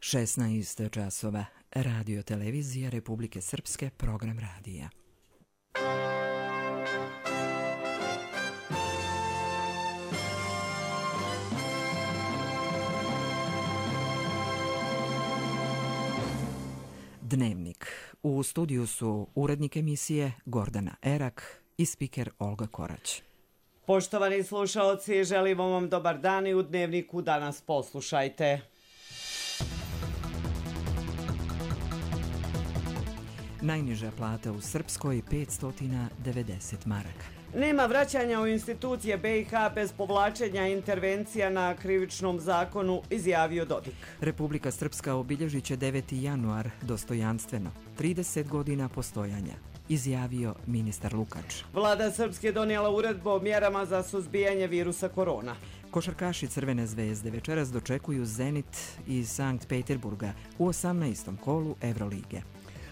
16 časova. Radio televizija Republike Srpske, program radija. Dnevnik. U studiju su urednik emisije Gordana Erak i spiker Olga Korać. Poštovani slušaoci, želimo vam dobar dan i u Dnevniku danas poslušajte. Najniža plata u Srpskoj 590 maraka. Nema vraćanja u institucije BiH bez povlačenja intervencija na krivičnom zakonu, izjavio Dodik. Republika Srpska obilježit će 9. januar dostojanstveno, 30 godina postojanja, izjavio ministar Lukač. Vlada Srpske donijela uredbu o mjerama za suzbijanje virusa korona. Košarkaši Crvene zvezde večeras dočekuju Zenit iz Sankt Peterburga u 18. kolu Evrolige.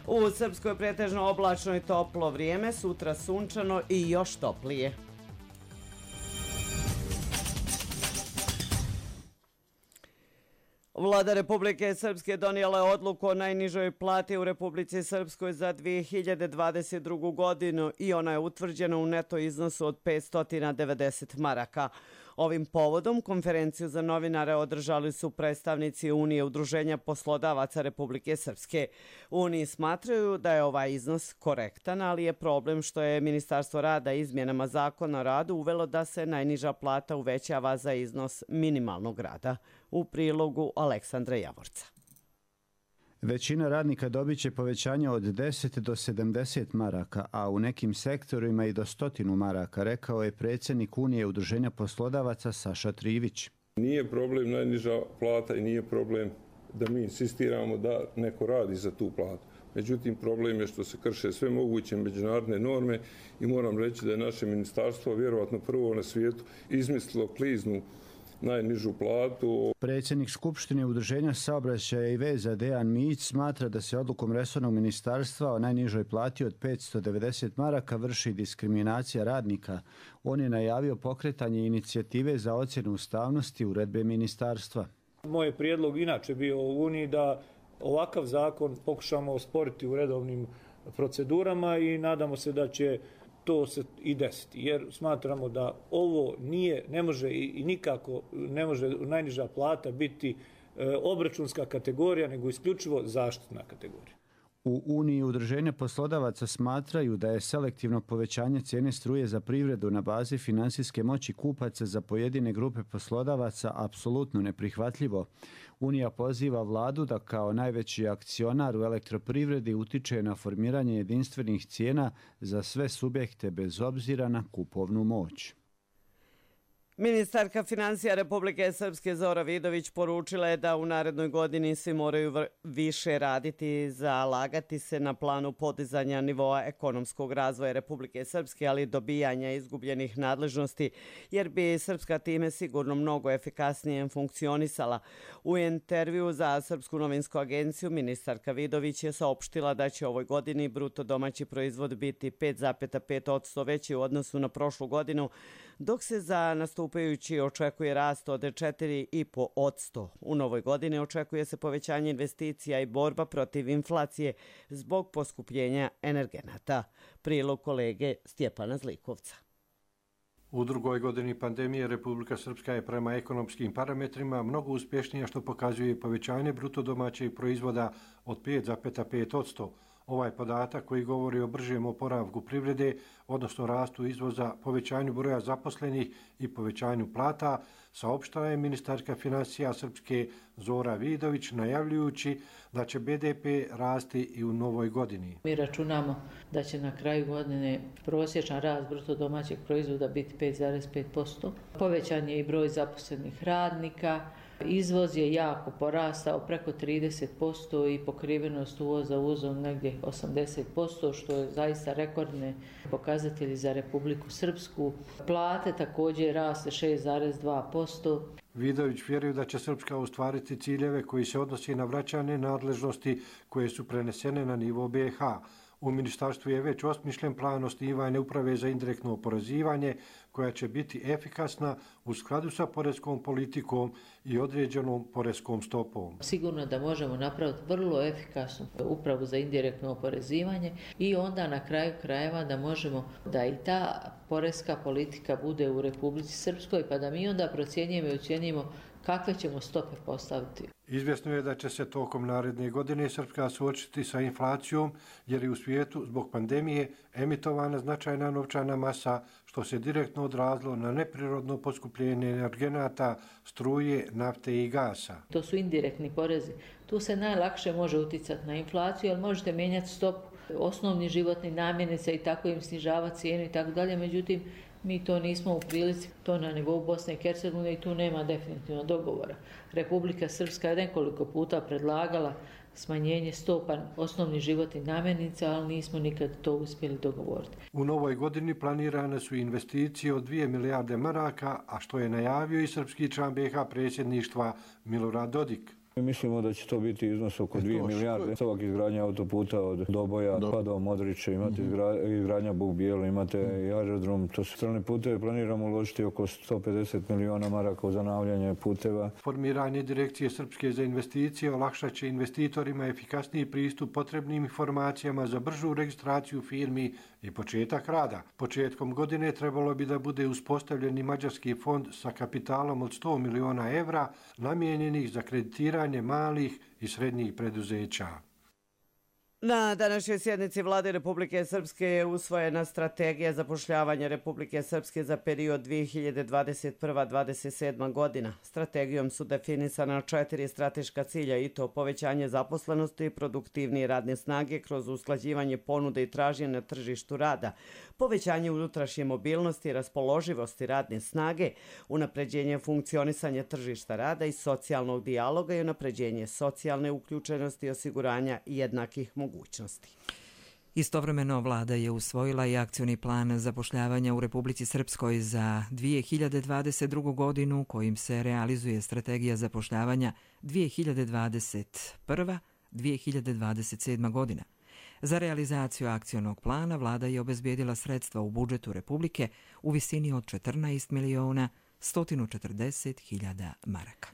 U Srpskoj pretežno oblačno i toplo vrijeme, sutra sunčano i još toplije. Vlada Republike Srpske donijela je odluku o najnižoj plati u Republici Srpskoj za 2022. godinu i ona je utvrđena u neto iznosu od 590 maraka. Ovim povodom konferenciju za novinare održali su predstavnici Unije udruženja poslodavaca Republike Srpske. U Uniji smatraju da je ovaj iznos korektan, ali je problem što je Ministarstvo rada izmjenama zakona o radu uvelo da se najniža plata uvećava za iznos minimalnog rada. U prilogu Aleksandra Javorca. Većina radnika dobit će povećanje od 10 do 70 maraka, a u nekim sektorima i do 100 maraka, rekao je predsjednik Unije udruženja poslodavaca Saša Trivić. Nije problem najniža plata i nije problem da mi insistiramo da neko radi za tu platu. Međutim, problem je što se krše sve moguće međunarodne norme i moram reći da je naše ministarstvo vjerovatno prvo na svijetu izmislilo kliznu najnižu platu. Predsjednik Skupštine udruženja saobraćaja i veza Dejan Mić smatra da se odlukom resornog ministarstva o najnižoj plati od 590 maraka vrši diskriminacija radnika. On je najavio pokretanje inicijative za ocjenu ustavnosti uredbe ministarstva. Moj je prijedlog inače bio u Uniji da ovakav zakon pokušamo osporiti u redovnim procedurama i nadamo se da će to se i desiti, jer smatramo da ovo ne može i nikako ne može najniža plata biti obračunska kategorija, nego isključivo zaštitna kategorija. U Uniji udruženja poslodavaca smatraju da je selektivno povećanje cijene struje za privredu na bazi finansijske moći kupaca za pojedine grupe poslodavaca apsolutno neprihvatljivo. Unija poziva vladu da kao najveći akcionar u elektroprivredi utiče na formiranje jedinstvenih cijena za sve subjekte bez obzira na kupovnu moć. Ministarka financija Republike Srpske Zora Vidović poručila je da u narednoj godini svi moraju više raditi, zalagati se na planu podizanja nivoa ekonomskog razvoja Republike Srpske, ali dobijanja izgubljenih nadležnosti, jer bi Srpska time sigurno mnogo efikasnije funkcionisala. U intervju za Srpsku novinsku agenciju ministarka Vidović je saopštila da će ovoj godini bruto domaći proizvod biti 5,5% veći u odnosu na prošlu godinu, dok se za nastupajući očekuje rast od 4,5%. U novoj godini očekuje se povećanje investicija i borba protiv inflacije zbog poskupljenja energenata. Prilog kolege Stjepana Zlikovca. U drugoj godini pandemije Republika Srpska je prema ekonomskim parametrima mnogo uspješnija, što pokazuje povećanje bruto domaćeg proizvoda od 5,5%. Ovaj podatak koji govori o bržem oporavku privrede, odnosno rastu izvoza, povećanju broja zaposlenih i povećanju plata, saopštila je ministarka financija Srpske Zora Vidović, najavljujući da će BDP rasti i u novoj godini. Mi računamo da će na kraju godine prosječan rast bruto domaćeg proizvoda biti 5,5%. Povećan je i broj zaposlenih radnika. Izvoz je jako porastao, preko 30% i pokrivenost uvoza uvozom negdje 80%, što je zaista rekordne pokazatelji za Republiku Srpsku. Plate također raste 6,2%. Vidović vjeruje da će Srpska ostvariti ciljeve koji se odnosi na vraćanje nadležnosti koje su prenesene na nivo BiH. U ministarstvu je već osmišljen plan osnivanja uprave za indirektno oporezivanje, koja će biti efikasna u skladu sa poreskom politikom i određenom poreskom stopom. Sigurno da možemo napraviti vrlo efikasnu upravu za indirektno oporezivanje i onda na kraju krajeva da možemo da i ta poreska politika bude u Republici Srpskoj, pa da mi onda procjenjujemo i ocjenjujemo kakve ćemo stope postaviti. Izvjesno je da će se tokom naredne godine Srpska suočiti sa inflacijom jer je u svijetu zbog pandemije emitovana značajna novčana masa što se direktno odrazilo na neprirodno poskupljenje energenata, struje, nafte i gasa. To su indirektni porezi. Tu se najlakše može uticati na inflaciju, ali možete mijenjati stopu osnovnih životnih namirnica i tako im snižavati cijenu i tako dalje. Međutim, mi to nismo u prilici, to na nivou Bosne i Hercegovine i tu nema definitivno dogovora. Republika Srpska je nekoliko puta predlagala smanjenje stopa osnovnih životnih namirnica, ali nismo nikad to uspjeli dogovoriti. U novoj godini planirane su investicije od 2 milijarde maraka, a što je najavio i srpski član BiH predsjedništva Milorad Dodik. Mislimo da će to biti iznos oko 2 milijarde. Stavak izgradnja autoputa od Doboja pa do Modrića, imate izgradnja Buk Bijelo, imate i aerodrom. To su strane puteve, planiramo uložiti oko 150 miliona maraka u zanavljanje puteva. Formiranje Direkcije Srpske za investicije olakšat će investitorima efikasniji pristup potrebnim informacijama za bržu registraciju firmi i početak rada. Početkom godine trebalo bi da bude uspostavljen i mađarski fond sa kapitalom od 100 miliona evra namijenjenih za kreditiranje malih i srednjih preduzeća. Na današnjoj sjednici Vlade Republike Srpske je usvojena strategija zapošljavanja Republike Srpske za period 2021-2027 godina. Strategijom su definisana 4 strateška cilja i to povećanje zaposlenosti, produktivnije radne snage kroz usklađivanje ponude i traženja na tržištu rada, povećanje unutrašnje mobilnosti i raspoloživosti radne snage, unapređenje funkcionisanja tržišta rada i socijalnog dijaloga i unapređenje socijalne uključenosti i osiguranja jednakih mogućnosti. Istovremeno vlada je usvojila i akcioni plan zapošljavanja u Republici Srpskoj za 2022. godinu kojim se realizuje strategija zapošljavanja 2021-2027 godina. Za realizaciju akcionog plana vlada je obezbijedila sredstva u budžetu Republike u visini od 14.140.000 maraka.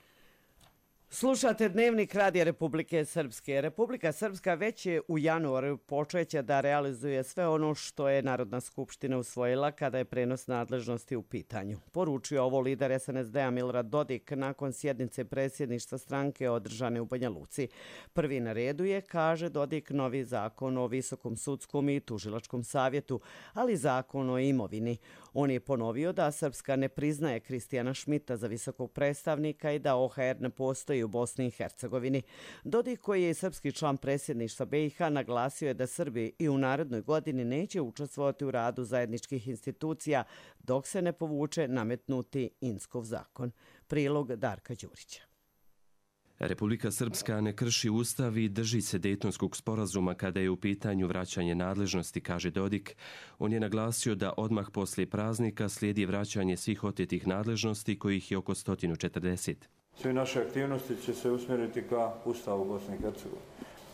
Slušate Dnevnik Radija Republike Srpske. Republika Srpska već je u januaru počeće da realizuje sve ono što je Narodna skupština usvojila kada je prenos nadležnosti u pitanju. Poručio ovo lider SNSD-a Milorad Dodik nakon sjednice predsjedništva stranke održane u Banja Luci. Prvi na redu je, kaže Dodik, novi zakon o Visokom sudskom i tužilačkom savjetu, ali zakon o imovini. On je ponovio da Srpska ne priznaje Kristijana Šmita za visokog predstavnika i da OHR ne postoji u Bosni i Hercegovini. Dodik, koji je srpski član predsjedništva BiH, naglasio je da Srbi i u narednoj godini neće učestvovati u radu zajedničkih institucija dok se ne povuče nametnuti Inskov zakon. Prilog Darka Đurića. Republika Srpska ne krši ustav i drži se Dejtonskog sporazuma kada je u pitanju vraćanje nadležnosti, kaže Dodik. On je naglasio da odmah poslije praznika slijedi vraćanje svih otetih nadležnosti, kojih je oko 140. Sve naše aktivnosti će se usmjeriti ka Ustavu Bosne i Hercegovine.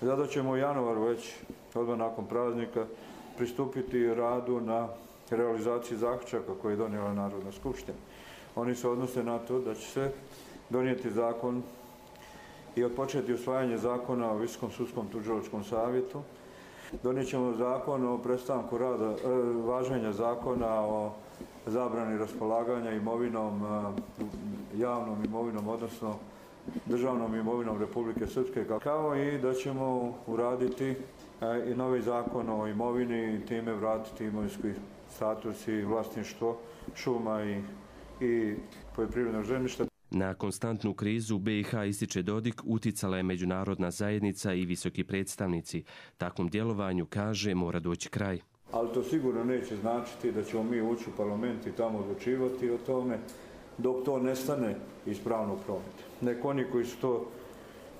Zato ćemo u januaru već, odmah nakon praznika, pristupiti radu na realizaciji zaključaka koje je donijela Narodna skupština. Oni se odnose na to da će se donijeti zakon i odpočeti usvajanje zakona o Visokom sudskom tužilačkom savjetu. Donijet ćemo zakon o prestanku rada, važenja zakona o zabrani raspolaganja imovinom, javnom imovinom, odnosno državnom imovinom Republike Srpske, kao i da ćemo uraditi i novi zakon o imovini i time vratiti imovinski status i vlasništvo šuma i poljoprivrednog zemljišta. Na konstantnu krizu BiH, ističe Dodik, uticala je međunarodna zajednica i visoki predstavnici. Takvom djelovanju, kaže, mora doći kraj. Ali to sigurno neće značiti da ćemo mi ući u parlament i tamo odlučivati o tome dok to nestane iz pravnog prometa. Nek oni koji su to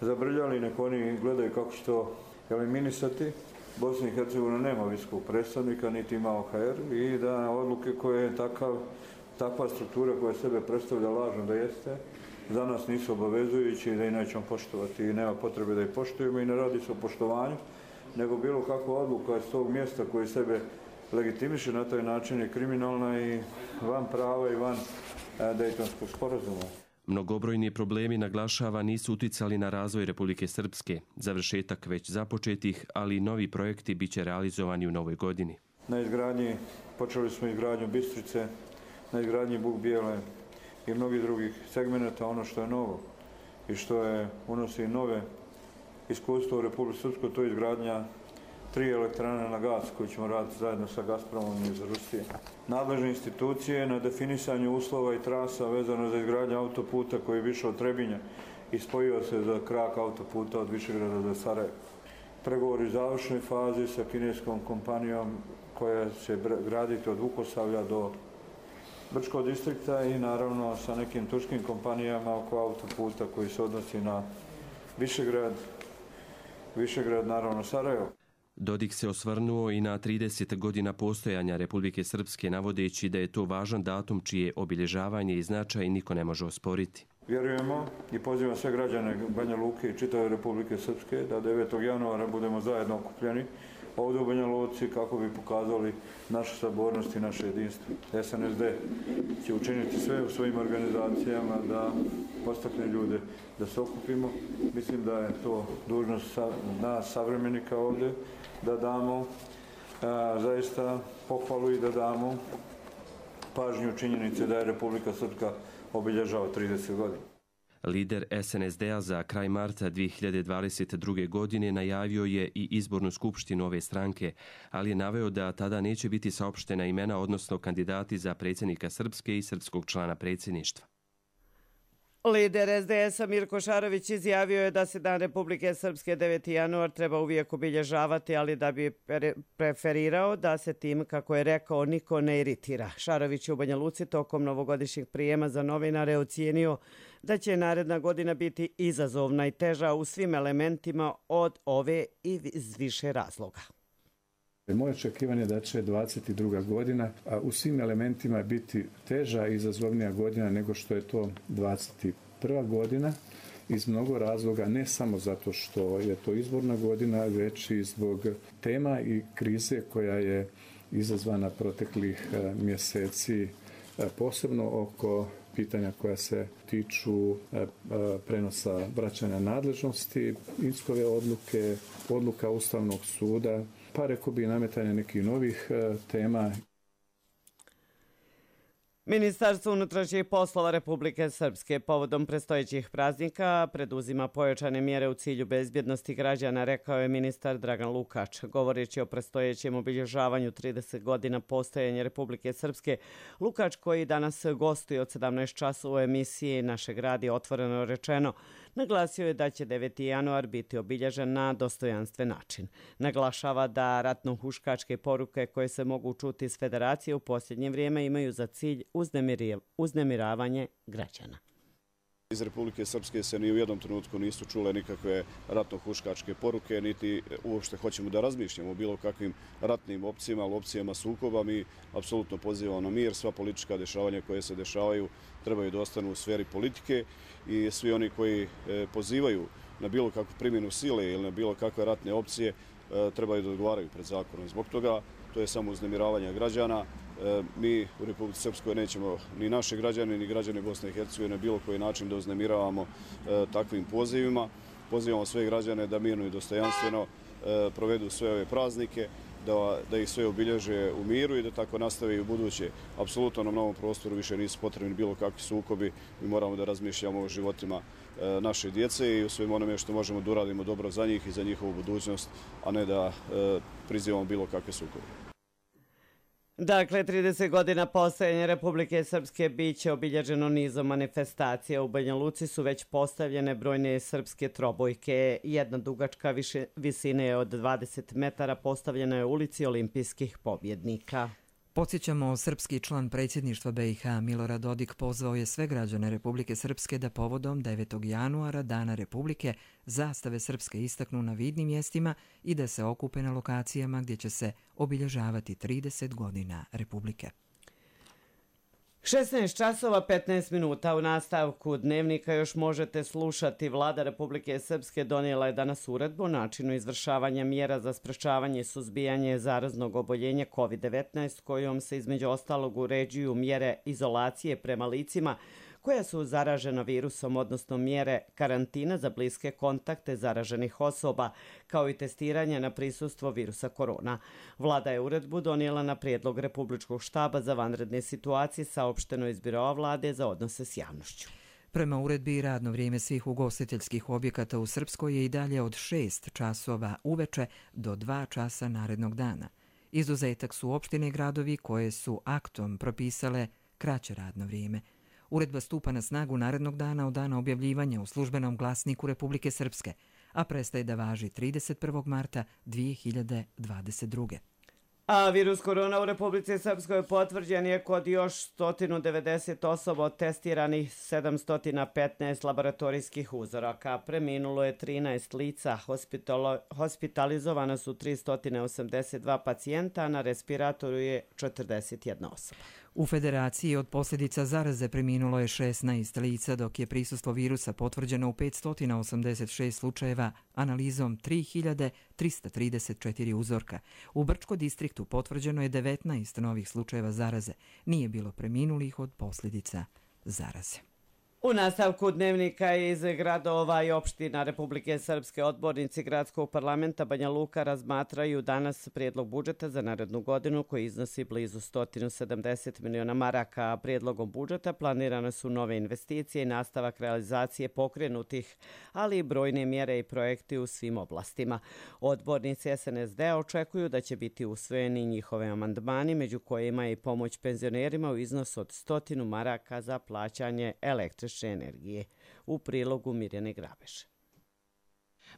zabrljali, nek oni gledaju kako će to eliminisati. Bosna i Hercegovina nema visokog predstavnika, niti ima OHR i da odluke koje je takva struktura koja sebe predstavlja lažno da jeste, za nas nisu obavezujući i da i nećemo poštovati i nema potrebe da ih poštujemo i ne radi se o poštovanju, nego bilo kakva odluka iz tog mjesta koji sebe legitimiše na taj način je kriminalna i van prava i van Dejtonskog sporazuma. Mnogobrojni problemi, naglašava, nisu uticali na razvoj Republike Srpske. Završetak već započetih, ali i novi projekti biće realizovani u novoj godini. Počeli smo izgradnju Bistrice, na izgradnji Buk Bijele i mnogih drugih segmenata. Ono što je novo i što unosi nove iskustvo u Republike Srpskoj, to je izgradnja 3 elektrane na gas koje ćemo raditi zajedno sa Gazpromom iz Rusije. Nadležne institucije na definisanju uslova i trasa vezano za izgradnju autoputa koji je više od Trebinja i spojio se za krak autoputa od Višegrada do Sarajeva. Pregovori u završnoj fazi sa kineskom kompanijom koja će graditi od Vukosavlja do Brčkog distrikta i naravno sa nekim turškim kompanijama oko autoputa koji se odnosi na Višegrad, naravno Sarajevo. Dodik se osvrnuo i na 30 godina postojanja Republike Srpske, navodeći da je to važan datum čije obilježavanje i značaj niko ne može osporiti. Vjerujemo i pozivam sve građane Banja Luke i čitave Republike Srpske da 9. januara budemo zajedno okupljeni ovdje u Banja Luci kako bi pokazali našu sabornost i naše jedinstvo. SNSD će učiniti sve u svojim organizacijama da postakne ljude da se okupimo. Mislim da je to dužnost nas savremenika ovdje da damo zaista pohvalu i da damo pažnju činjenice da je Republika Srpska obilježava 30 godina. Lider SNSD-a za kraj marta 2022. godine najavio je i izbornu skupštinu ove stranke, ali je naveo da tada neće biti saopštena imena, odnosno kandidati za predsjednika Srpske i srpskog člana predsjedništva. Lider SDS-a Mirko Šarović izjavio je da se Dan Republike Srpske 9. januar treba uvijek obilježavati, ali da bi preferirao da se tim, kako je rekao, niko ne iritira. Šarović je u Banja Luci tokom novogodišnjeg prijema za novinare ocijenio da će naredna godina biti izazovna i teža u svim elementima od ove i iz više razloga. Moje očekivanje je da će 22. godina u svim elementima biti teža i izazovnija godina nego što je to 21. godina iz mnogo razloga, ne samo zato što je to izborna godina, već i zbog tema i krize koja je izazvana proteklih mjeseci, posebno oko pitanja koja se tiču prenosa vraćanja nadležnosti, Inskove odluke, odluka Ustavnog suda, pa rekao bi nametanja nekih novih tema. Ministarstvo unutrašnjih poslova Republike Srpske povodom predstojećih praznika preduzima pojačane mjere u cilju bezbjednosti građana, rekao je ministar Dragan Lukač. Govoreći o predstojećem obilježavanju 30 godina postojanja Republike Srpske, Lukač, koji danas gostuje od 17 časova u emisiji Naše grad je otvoreno rečeno, naglasio je da će 9. januar biti obilježen na dostojanstven način. Naglašava da ratno-huškačke poruke koje se mogu čuti iz Federacije u posljednje vrijeme imaju za cilj uznemiravanje građana. Iz Republike Srpske se ni u jednom trenutku nisu čule nikakve ratno-huškačke poruke, niti uopšte hoćemo da razmišljamo o bilo kakvim ratnim opcijama sukoba. Mi apsolutno pozivamo na mir, sva politička dešavanja koje se dešavaju trebaju da ostanu u sferi politike i svi oni koji pozivaju na bilo kakvu primjenu sile ili na bilo kakve ratne opcije trebaju da odgovaraju pred zakonom. Zbog toga to je samo uznemiravanje građana. Mi u Republici Srpskoj nećemo ni naše građane, ni građane Bosne i Hercegovine na bilo koji način da uznemiravamo takvim pozivima. Pozivamo sve građane da mirno i dostojanstveno provedu sve ove praznike, da ih sve obilježe u miru i da tako nastave i u buduće. Apsolutno na novom prostoru više nisu potrebni bilo kakvi sukobi. Mi moramo da razmišljamo o životima naše djece i o svem onome što možemo da uradimo dobro za njih i za njihovu budućnost, a ne da prizivamo bilo kakve sukobe. Dakle, 30 godina postojanja Republike Srpske biće obilježeno nizom manifestacija. U Banja Luci su već postavljene brojne srpske trobojke. Jedna dugačka visine od 20 metara postavljena je u ulici olimpijskih pobjednika. Podsjećamo, srpski član predsjedništva BiH Milorad Dodik pozvao je sve građane Republike Srpske da povodom 9. januara, Dana Republike, zastave srpske istaknu na vidnim mjestima i da se okupe na lokacijama gdje će se obilježavati 30 godina Republike. 16 časova 15 minuta u nastavku dnevnika još možete slušati. Vlada Republike Srpske donijela je danas uredbu o načinu izvršavanja mjera za sprečavanje i suzbijanje zaraznog oboljenja COVID-19 kojom se između ostalog uređuju mjere izolacije prema licima koja su zaražena virusom, odnosno mjere karantina za bliske kontakte zaraženih osoba, kao i testiranje na prisustvo virusa korona. Vlada je uredbu donijela na prijedlog Republičkog štaba za vanredne situacije, saopšteno iz Biroa vlade za odnose s javnošću. Prema uredbi, radno vrijeme svih ugostiteljskih objekata u Srpskoj je i dalje od 6 časova uveče do 2 časa narednog dana. Izuzetak su opštine i gradovi koje su aktom propisale kraće radno vrijeme. Uredba stupa na snagu narednog dana od dana objavljivanja u službenom glasniku Republike Srpske, a prestaje da važi 31. marta 2022. A virus korona u Republici Srpskoj potvrđen je kod još 190 osoba od testiranih 715 laboratorijskih uzoraka. Preminulo je 13 lica, hospitalizovana su 382 pacijenta, a na respiratoru je 41 osoba. U Federaciji od posljedica zaraze preminulo je 16 lica, dok je prisustvo virusa potvrđeno u 586 slučajeva analizom 3334 uzorka. U Brčko distriktu potvrđeno je 19 novih slučajeva zaraze. Nije bilo preminulih od posljedica zaraze. U nastavku dnevnika iz gradova i opština Republike Srpske odbornici Gradskog parlamenta Banja Luka razmatraju danas prijedlog budžeta za narednu godinu koji iznosi blizu 170 miliona maraka. Prijedlogom budžeta planirane su nove investicije i nastavak realizacije pokrenutih, ali i brojne mjere i projekti u svim oblastima. Odbornici SNSD očekuju da će biti usvojeni njihove amandmani, među kojima je i pomoć penzionerima u iznosu od 100 maraka za plaćanje električne energije. U prilogu Mirjane Grabeše.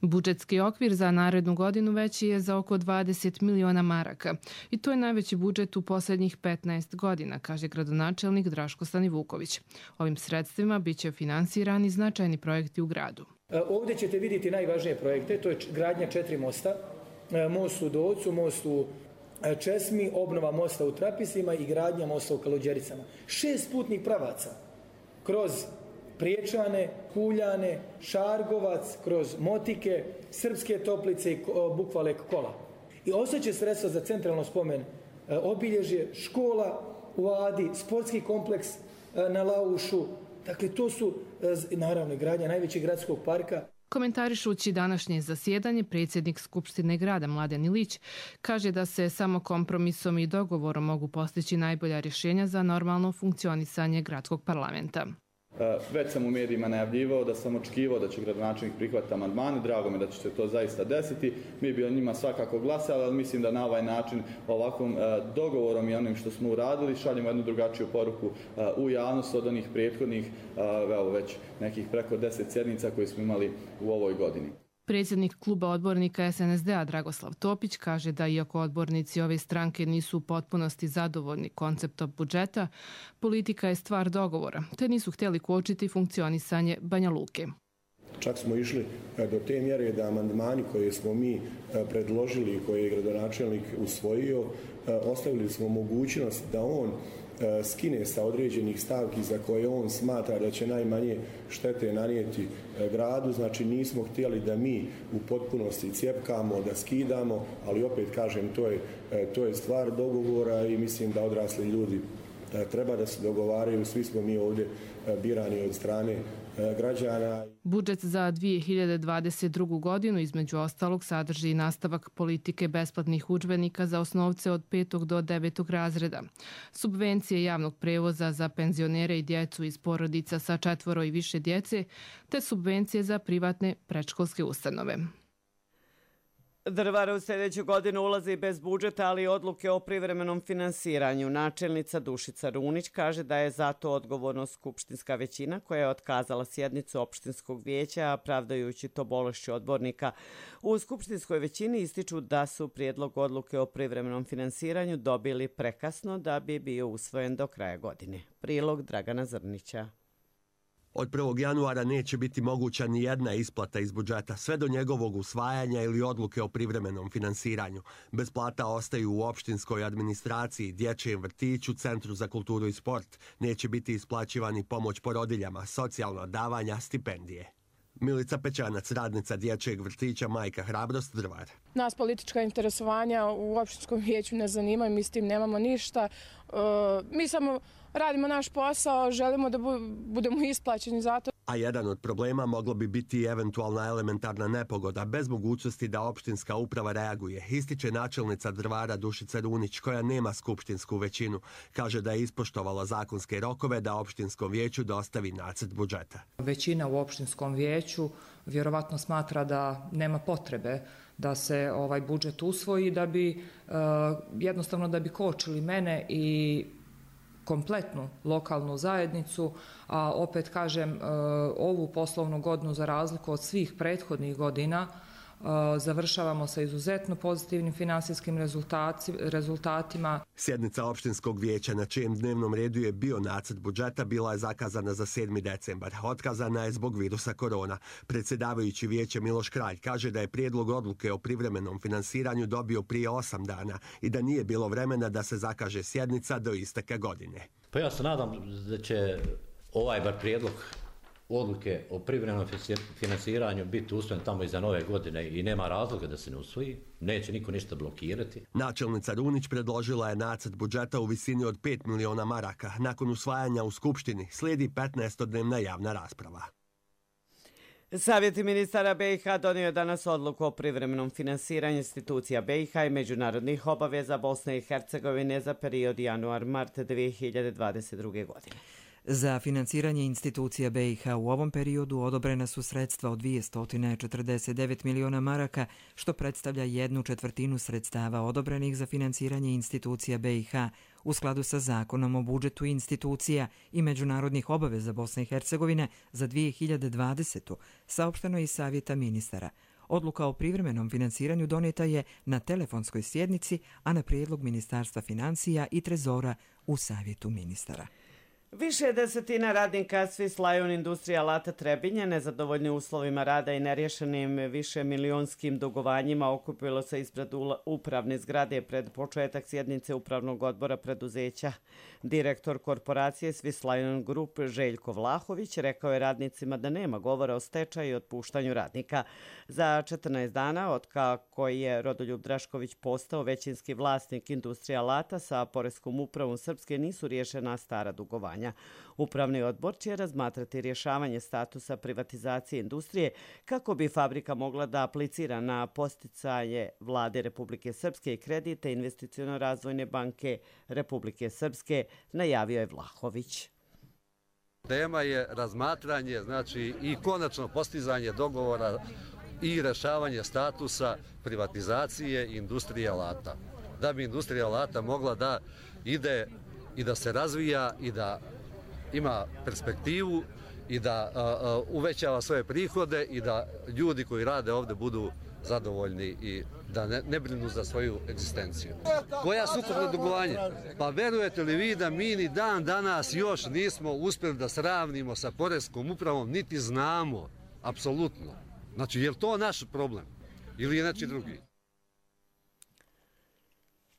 Budžetski okvir za narednu godinu veći je za oko 20 miliona maraka i to je najveći budžet u posljednjih 15 godina, kaže gradonačelnik Draško Stanivuković. Ovim sredstvima biće finansirani značajni projekti u gradu. Ovdje ćete vidjeti najvažnije projekte, to je gradnja 4 mosta, most u Dolcu, most u Česmi, obnova mosta u Trapisima i gradnja mosta u Kaluđericama. 6 putnih pravaca kroz Priječane, Kuljane, Šargovac, kroz Motike, Srpske Toplice i Bukvalek Kola. I ostaće sredstva za centralno spomen obilježje, škola u Adi, sportski kompleks na Laušu. Dakle, to su naravno gradnja najvećeg gradskog parka. Komentarišući današnje zasjedanje, predsjednik Skupštine grada Mladen Ilić kaže da se samo kompromisom i dogovorom mogu postići najbolja rješenja za normalno funkcionisanje gradskog parlamenta. Već sam u medijima najavljivao da sam očekivao da će gradonačelnik prihvatiti amandmane. Drago mi da će se to zaista desiti. Mi bi o njima svakako glasali, ali mislim da na ovaj način, ovakvom dogovorom i onim što smo uradili, šaljemo jednu drugačiju poruku u javnost od onih prethodnih, evo već nekih preko 10 sjednica koje smo imali u ovoj godini. Predsjednik kluba odbornika SNSD-a Dragoslav Topić kaže da iako odbornici ove stranke nisu u potpunosti zadovoljni konceptom budžeta, politika je stvar dogovora, te nisu htjeli kočiti funkcionisanje Banja Luke. Čak smo išli do te mjere da amandmani koje smo mi predložili i koje je gradonačelnik usvojio, ostavili smo mogućnost da on skine sa određenih stavki za koje on smatra da će najmanje štete nanijeti gradu. Znači nismo htjeli da mi u potpunosti cjepkamo, da skidamo, ali opet kažem to je stvar dogovora i mislim da odrasli ljudi treba da se dogovaraju. Svi smo mi ovdje birani od strane građana. Budžet za 2022. godinu između ostalog sadrži i nastavak politike besplatnih udžbenika za osnovce od 5. do 9. razreda, subvencije javnog prevoza za penzionere i djecu iz porodica sa 4 i više djece, te subvencije za privatne predškolske ustanove. Drvar u sljedeću godinu ulazi bez budžeta, ali i odluke o privremenom finansiranju. Načelnica Dušica Runić kaže da je zato odgovornost skupštinska većina koja je otkazala sjednicu opštinskog vijeća, pravdajući to bolešću odbornika. U skupštinskoj većini ističu da su prijedlog odluke o privremenom finansiranju dobili prekasno da bi bio usvojen do kraja godine. Prilog Dragana Zrnića. Od 1. januara neće biti moguća ni jedna isplata iz budžeta, sve do njegovog usvajanja ili odluke o privremenom finansiranju. Bez plata ostaju u opštinskoj administraciji, dječjem vrtiću, Centru za kulturu i sport. Neće biti isplaćivani pomoć porodiljama, socijalna davanja, stipendije. Milica Pećanac, radnica dječjeg vrtića Majka Hrabrost, Drvar. Nas politička interesovanja u opštinskom vijeću ne zanimaju, mi s tim nemamo ništa. Mi samo radimo naš posao, želimo da budemo isplaćeni za to. A jedan od problema moglo bi biti eventualna elementarna nepogoda bez mogućnosti da opštinska uprava reaguje. Ističe načelnica Drvara Dušica Runić, koja nema skupštinsku većinu. Kaže da je ispoštovala zakonske rokove da opštinskom vijeću dostavi nacrt budžeta. Većina u opštinskom vijeću vjerovatno smatra da nema potrebe da se ovaj budžet usvoji, da bi jednostavno da bi kočili mene i kompletnu lokalnu zajednicu, a opet kažem, ovu poslovnu godinu za razliku od svih prethodnih godina završavamo sa izuzetno pozitivnim finansijskim rezultatima. Sjednica opštinskog vijeća na čijem dnevnom redu je bio nacrt budžeta bila je zakazana za 7. decembar. Otkazana je zbog virusa korona. Predsjedavajući vijeće Miloš Kralj kaže da je prijedlog odluke o privremenom finansiranju dobio prije 8 dana i da nije bilo vremena da se zakaže sjednica do isteka godine. Pa ja se nadam da će ovaj bar prijedlog odluke o privremenom finansiranju biti usvojen tamo iza nove godine i nema razloga da se ne usvoji. Neće niko ništa blokirati. Načelnica Runić predložila je nacrt budžeta u visini od 5 miliona maraka. Nakon usvajanja u Skupštini slijedi 15-dnevna javna rasprava. Savjet ministara BiH donio je danas odluku o privremenom finansiranju institucija BiH i međunarodnih obaveza Bosne i Hercegovine za period januar-mart 2022. godine. Za finansiranje institucija BiH u ovom periodu odobrena su sredstva od 249 miliona maraka, što predstavlja 1/4 sredstava odobrenih za finansiranje institucija BiH u skladu sa zakonom o budžetu institucija i međunarodnih obaveza Bosne i Hercegovine za 2020. saopšteno je iz Savjeta ministara. Odluka o privremenom finansiranju doneta je na telefonskoj sjednici, a na prijedlog Ministarstva financija i Trezora u Savjetu ministara. Više desetina radnika Swiss Lion Industrija Alata Trebinje, nezadovoljni uslovima rada i nerješenim višemilijonskim dugovanjima, okupilo se ispred upravne zgrade pred početak sjednice upravnog odbora preduzeća. Direktor korporacije Swiss Lion Group Željko Vlahović rekao je radnicima da nema govora o stečaju i otpuštanju radnika. Za 14 dana, od kako je Rodoljub Drašković postao većinski vlasnik Industrija Alata, sa Poreskom upravom Srpske nisu riješena stara dugovanja. Upravni odbor će razmatrati rješavanje statusa privatizacije industrije kako bi fabrika mogla da aplicira na podsticaje Vlade Republike Srpske i kredite Investiciono-razvojne banke Republike Srpske, najavio je Vlahović. Tema je razmatranje, znači i konačno postizanje dogovora i rješavanje statusa privatizacije industrije alata. Da bi industrija alata mogla da ide i da se razvija i da ima perspektivu i da uvećava svoje prihode i da ljudi koji rade ovdje budu zadovoljni i da ne brinu za svoju egzistenciju. Koja su ukupna dugovanja? Pa verujete li vi da mi ni dan danas još nismo uspjeli da sravnimo sa Poreskom upravom, niti znamo, apsolutno. Znači, je li to naš problem ili je neki drugi?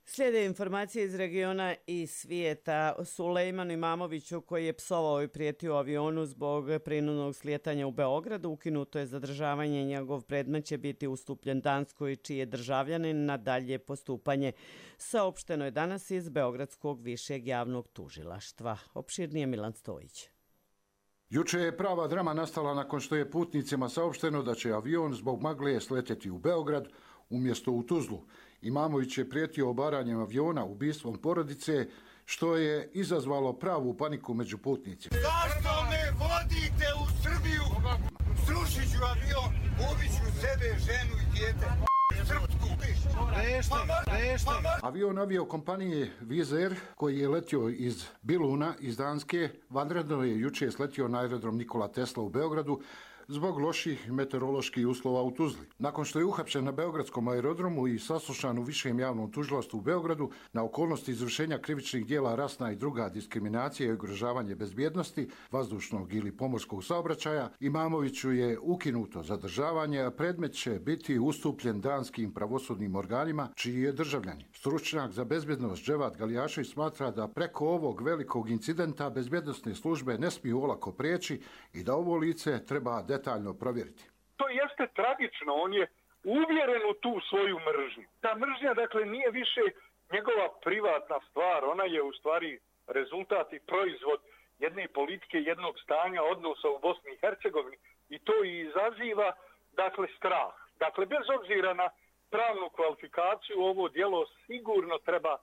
Slijede informacije iz regiona i svijeta. Sulejmanu Imamoviću, koji je psovao i prijetio avionu zbog prinudnog slijetanja u Beogradu, ukinuto je zadržavanje. Njegov predmet će biti ustupljen Danskoj, čiji je državljanin na dalje postupanje. Saopšteno je danas iz Beogradskog višeg javnog tužilaštva. Opširnije Milan Stojić. Juče je prava drama nastala nakon što je putnicima saopšteno da će avion zbog magle sletjeti u Beograd umjesto u Tuzlu. Imamović je prijetio obaranjem aviona ubistvom porodice, što je izazvalo pravu paniku među putnicima. Zašto me vodite u Srbiju? Srušit ću avion, ubit ću sebe, ženu i dijete. Srpsku. Avion aviokompanije Wizz Air, koji je letio iz Biluna, iz Danske, vanredno je juče sletio na aerodrom Nikola Tesla u Beogradu, zbog loših meteoroloških uslova u Tuzli. Nakon što je uhapšen na Beogradskom aerodromu i saslušan u Višem javnom tužilaštvu u Beogradu na okolnosti izvršenja krivičnih dijela rasna i druga diskriminacija i ugrožavanje bezbjednosti, vazdušnog ili pomorskog saobraćaja, Imamoviću je ukinuto zadržavanje, a predmet će biti ustupljen danskim pravosudnim organima čiji je državljanin. Stručnjak za bezbjednost Dževat Galijašević smatra da preko ovog velikog incidenta bezbjednosne službe ne smiju olako prijeći i da ovo lice treba detaljno provjeriti. To jeste tragično, on je uvjeren u tu svoju mržnju. Ta mržnja, dakle, nije više njegova privatna stvar, ona je u stvari rezultat i proizvod jedne politike, jednog stanja odnosa u Bosni i Hercegovini i to i izaziva, dakle, strah. Dakle, bez obzira na pravnu kvalifikaciju, ovo djelo sigurno treba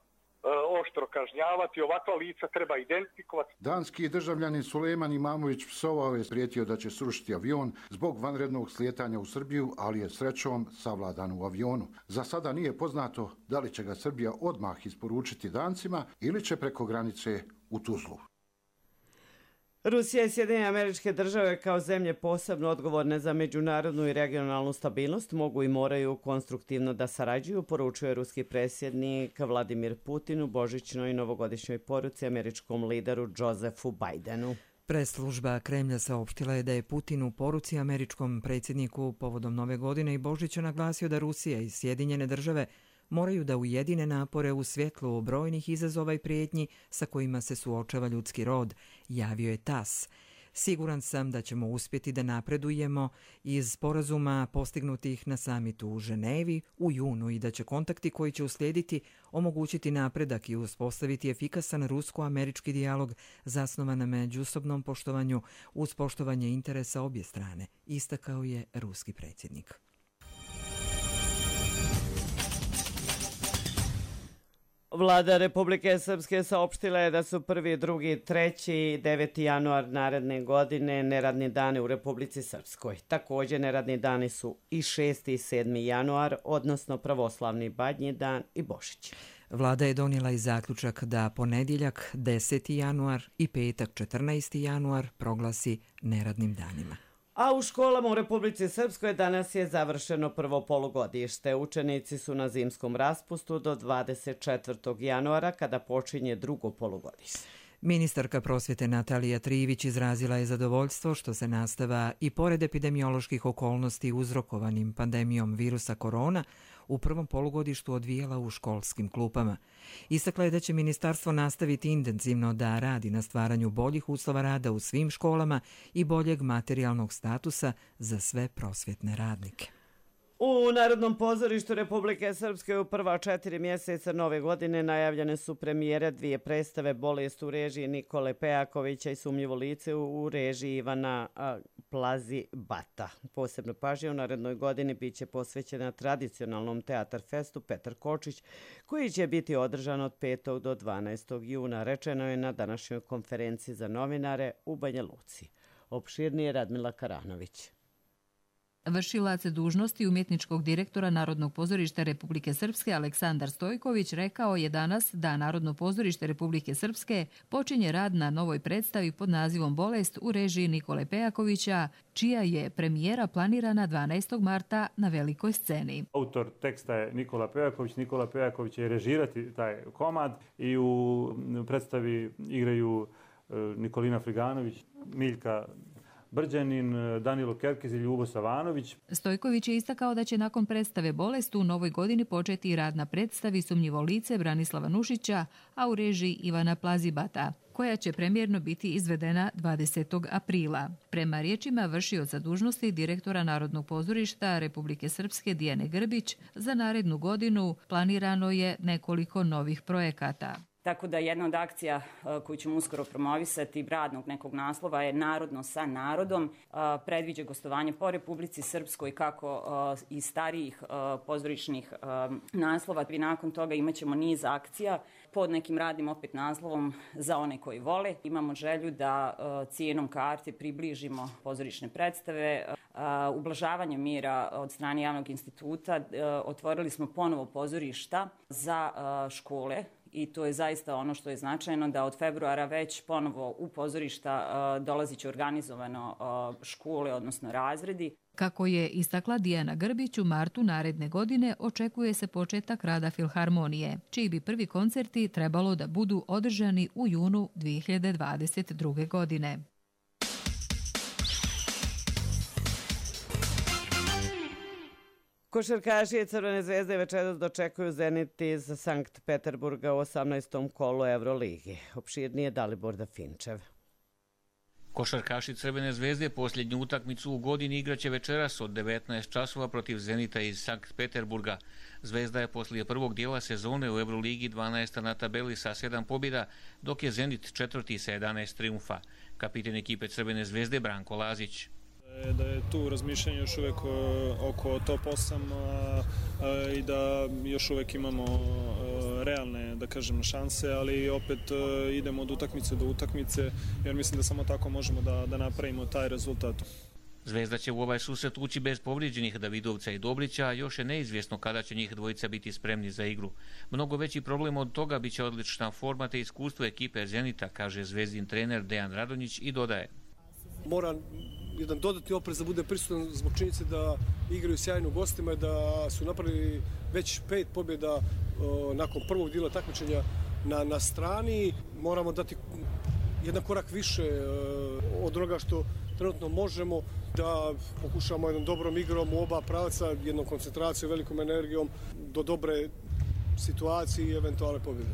oštro kažnjavati, ovakva lica treba identifikovati. Danski državljanin Sulejman Imamović psovao je, prijetio da će srušiti avion zbog vanrednog slijetanja u Srbiju, ali je srećom savladan u avionu. Za sada nije poznato da li će ga Srbija odmah isporučiti Dancima ili će preko granice u Tuzlu. Rusija i Sjedinjene Američke Države kao zemlje posebno odgovorne za međunarodnu i regionalnu stabilnost mogu i moraju konstruktivno da sarađuju, poručuje ruski predsjednik Vladimir Putin u božićnoj i novogodišnjoj poruci američkom lideru Josefu Bidenu. Press-služba Kremlja saopštila je da je Putin u poruci američkom predsjedniku povodom Nove godine i Božića naglasio da Rusija i Sjedinjene Države moraju da ujedine napore u svjetlu brojnih izazova i prijetnji sa kojima se suočava ljudski rod, javio je TASS. Siguran sam da ćemo uspjeti da napredujemo iz sporazuma postignutih na samitu u Ženevi u junu i da će kontakti koji će uslijediti omogućiti napredak i uspostaviti efikasan rusko-američki dijalog zasnovan na međusobnom poštovanju uz poštovanje interesa obje strane, istakao je ruski predsjednik. Vlada Republike Srpske saopštila je da su 1., 2., 3. i 9. januar naredne godine neradni dani u Republici Srpskoj. Također neradni dani su i 6. i 7. januar, odnosno pravoslavni Badnji dan i Božić. Vlada je donijela i zaključak da ponedjeljak 10. januar i petak 14. januar proglasi neradnim danima. A u školama u Republici Srpskoj danas je završeno prvo polugodište. Učenici su na zimskom raspustu do 24. januara kada počinje drugo polugodište. Ministarka prosvjete Natalija Trivić izrazila je zadovoljstvo što se nastava i pored epidemioloških okolnosti uzrokovanim pandemijom virusa korona u prvom polugodištu odvijala u školskim klupama. Istakla je da će ministarstvo nastaviti intenzivno da radi na stvaranju boljih uslova rada u svim školama i boljeg materijalnog statusa za sve prosvjetne radnike. U Narodnom pozorištu Republike Srpske u prva 4 mjeseca nove godine najavljene su premijere 2 predstave Bolest u režiji Nikole Pejakovića i Sumnjivo lice u režiji Ivana Plazibata. Posebno pažnja u narednoj godini bit će posvećena tradicionalnom teatar festu Petar Kočić, koji će biti održan od 5. do 12. juna, rečeno je na današnjoj konferenciji za novinare u Banja Luci. Opširnije Radmila Karanović. Vršilac dužnosti umjetničkog direktora Narodnog pozorišta Republike Srpske Aleksandar Stojković rekao je danas da Narodno pozorište Republike Srpske počinje rad na novoj predstavi pod nazivom Bolest u režiji Nikole Pejakovića, čija je premijera planirana 12. marta na velikoj sceni. Autor teksta je Nikola Pejaković. Nikola Pejaković će režirati taj komad i u predstavi igraju Nikolina Friganović, Miljka Brđanin, Danilo Kerkez i Ljubo Savanović. Stojković je istakao da će nakon predstave Bolest u novoj godini početi i rad na predstavi Sumnjivo lice Branislava Nušića, a u režiji Ivana Plazibata, koja će premijerno biti izvedena 20. aprila. Prema riječima vršioca dužnosti direktora Narodnog pozorišta Republike Srpske Dijane Grbić, za narednu godinu planirano je nekoliko novih projekata. Tako da jedna od akcija koju ćemo uskoro promovisati, radnog nekog naslova, je Narodno sa narodom. Predviđa gostovanje po Republici Srpskoj kako i starijih pozorišnih naslova. I nakon toga imat ćemo niz akcija pod nekim radnim opet naslovom za one koji vole. Imamo želju da cijenom karte približimo pozorišne predstave. Ublažavanje mjera od strane Javnog instituta otvorili smo ponovo pozorišta za škole i to je zaista ono što je značajno, da od februara već ponovo u pozorišta dolazit će organizovano škole, odnosno razredi. Kako je istakla Dijana Grbić, u martu naredne godine očekuje se početak rada Filharmonije, čiji bi prvi koncerti trebalo da budu održani u junu 2022. godine. Košarkaši Crvene zvezde večeras dočekuju Zenit iz Sankt Peterburga u 18. kolu Euroligi. Opširnije Dalibor Dafinčev. Košarkaši Crvene zvezde posljednju utakmicu u godini igraće večeras od 19 časova protiv Zenita iz Sankt Peterburga. Zvezda je poslije prvog dijela sezone u Euroligi 12. na tabeli sa 7 pobjeda, dok je Zenit četvrti sa 11 triumfa. Kapiten ekipe Crvene zvezde Branko Lazić. Da je tu razmišljanje još uvijek oko top 8 i da još uvijek imamo realne, da kažem, šanse, ali opet idemo od utakmice do utakmice, jer mislim da samo tako možemo da napravimo taj rezultat. Zvezda će u ovaj susret ući bez povrijeđenih Davidovca i Dobrića, a još je neizvjesno kada će njih dvojica biti spremni za igru. Mnogo veći problem od toga biće odlična forma te iskustvo ekipe Zenita, kaže zvezdin trener Dejan Radonjić i dodaje. Mora jedan dodatni oprez da bude prisutan zbog činjenice da igraju sjajno gostima i da su napravili već 5 pobjeda nakon prvog dijela takmičenja na strani. Moramo dati jedan korak više od onoga što trenutno možemo, da pokušamo jednom dobrom igrom u oba pravca, jednom koncentracijom, velikom energijom do dobre situacije i eventualne pobjede.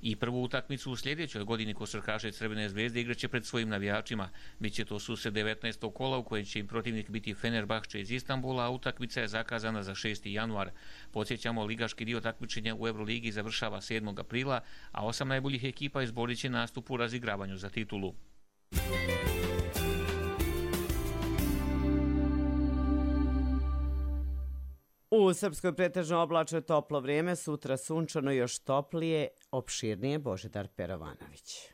I prvu utakmicu u sljedećoj godini košarkaši Crvene zvezde igraće pred svojim navijačima. Biće to susret 19. kola u kojem će im protivnik biti Fenerbahče iz Istanbula, a utakmica je zakazana za 6. januar. Podsjećamo, ligaški dio takmičenja u Euroligi završava 7. aprila, a 8 najboljih ekipa izborit će nastup u razigravanju za titulu. U Srpskoj pretežno oblačno toplo vrijeme, sutra sunčano još toplije, opširnije Božidar Perovanović.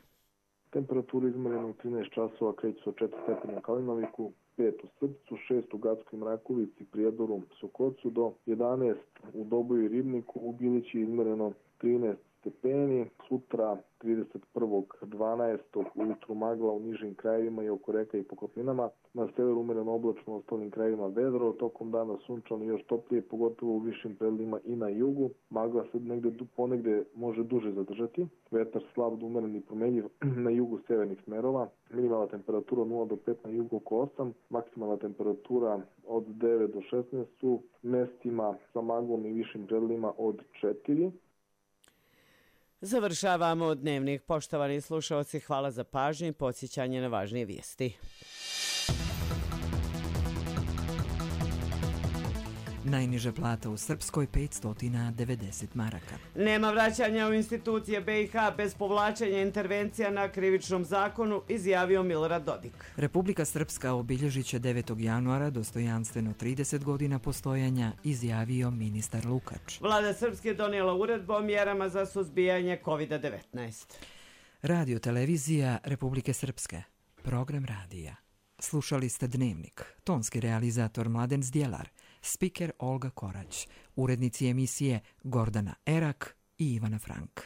Temperaturu izmerenu u 13 časova kreću se od 4 stepena u Kalinoviku, 5 u Srpcu, 6 u Gatskoj Mrakovici, Prijedoru, Sokocu do 11 u Doboju i Ribniku, u Bilići izmereno 13 stepeni, sutra 31.12. ujutru magla u nižim krajevima i oko reka i po kopninama, na severu umjereno oblačno u ostalim krajevima vedro, tokom dana sunčano i još toplije, pogotovo u višim predelima i na jugu, magla se ponegde može duže zadržati, vetar slab do umjeren i promenljiv na jugu severnih smerova, minimalna temperatura 0 do 5 na jugu oko 8, maksimalna temperatura od 9 do 16 u mestima sa maglom i višim predelima od 4. Završavamo dnevnik. Poštovani slušalci, hvala za pažnju i podsjećanje na važnije vijesti. Najniža plata u Srpskoj 590 maraka. Nema vraćanja u institucije BiH bez povlačenja intervencija na krivičnom zakonu, izjavio Milorad Dodik. Republika Srpska obilježit će 9. januara dostojanstveno 30 godina postojanja, izjavio ministar Lukač. Vlada Srpske je donijela uredbu o mjerama za suzbijanje COVID-19. Radio televizija Republike Srpske. Program radija. Slušali ste Dnevnik. Tonski realizator Mladen Zdjelar. Spiker Olga Korać, urednici emisije Gordana Erak i Ivana Frank.